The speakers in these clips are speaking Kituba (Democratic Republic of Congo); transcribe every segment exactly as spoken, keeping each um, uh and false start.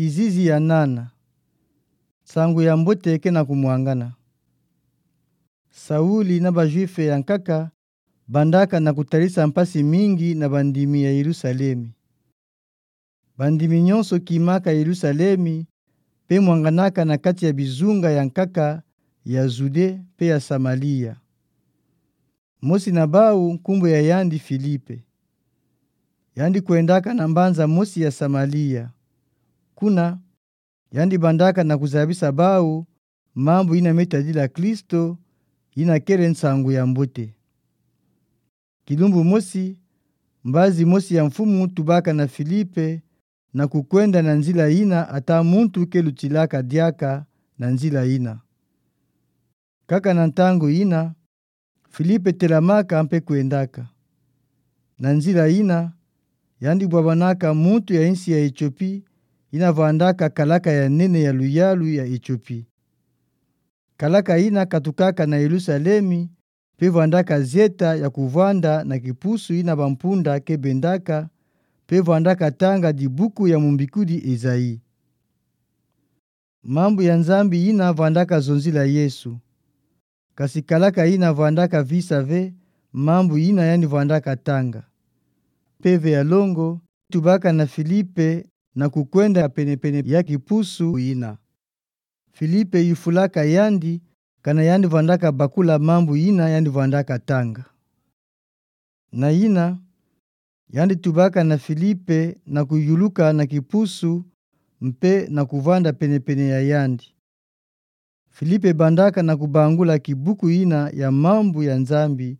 Kizizi ya nana. Nsangu ya mbote ke na kumwangana. Sauli na ba-Juife ya nkaka bandaka na kutarisa mpasi mingi na bandimi ya Yelusalemi. Bandimi nyonso kimaka Yelusalemi, mpe mwanganaka na kati ya bizunga ya nkaka ya Zude mpe ya Samalia. Mosi na bau nkumbu ya yandi Filipe. Yandi kwendaka na mbanza mosi ya Samalia. Kuna, yandi bandaka na kuzabisa bau mambu yina me tadila Kristo, yina kele nsangu ya mbote. Kilumbu mosi, mbazi mosi ya mfumu tubaka na Filipe na kukwenda na nzila yina ata muntu ke lutilaka diaka na nzila yina. Kaka na ntangu yina, Filipe telamaka mpe kwendaka. Na nzila yina, yandi bwabanaka muntu ya insi ya Etiopi, yina vwandaka kalaka ya nene ya luyalu ya Etiopi. Kalaka yina katukaka na Yelusalemi, mpe vwandaka zieta ya kuvwanda na kipusu yina bampunda ke bendaka, mpe vwandaka tanga dibuku ya mumbikudi Ezayi. Mambu ya Nzambi yina vwandaka zonzila Yesu. Kasi kalaka yina vwandaka visa ve mambu yina yandi vwandaka tanga. Mpeve ya longo tubaka na Filipe na kukwenda penepene ya kipusu yina. Filipe yufulaka yandi, kana yandi vwandaka bakula mambu yina yandi vwandaka tanga. Na yina, yandi tubaka na Filipe na kuyuluka na kipusu mpe na kuvwanda penepene ya yandi. Filipe bandaka na kubangula kibuku yina ya mambu ya Nzambi,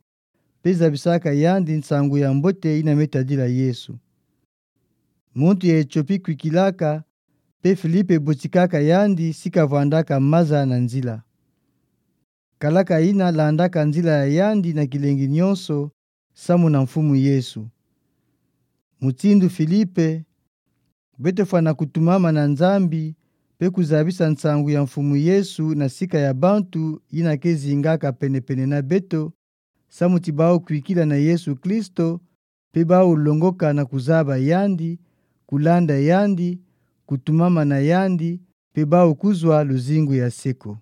mpe zabisaka yandi nsangu ya mbote yina me tadila Yesu. Muntu ya Etiopi kwikilaka, mpe Filipe botikaka yandi si kavwandaka maza na nzila. Kalaka yina landaka nzila ya yandi na kilengi nyonso, samu na Mfumu Yesu. Mutindu Filipe, beto fwana kutumama na Nzambi, mpe kuzabisa nsangu ya Mfumu Yesu na sika ya bantu yina ke zingaka penepene na beto, samu ti bau kwikila na Yesu Kristo, mpe bau longoka na kuzaba yandi, kulanda yandi, kutumama na yandi, mpe bau kuzwa luzingu ya seko.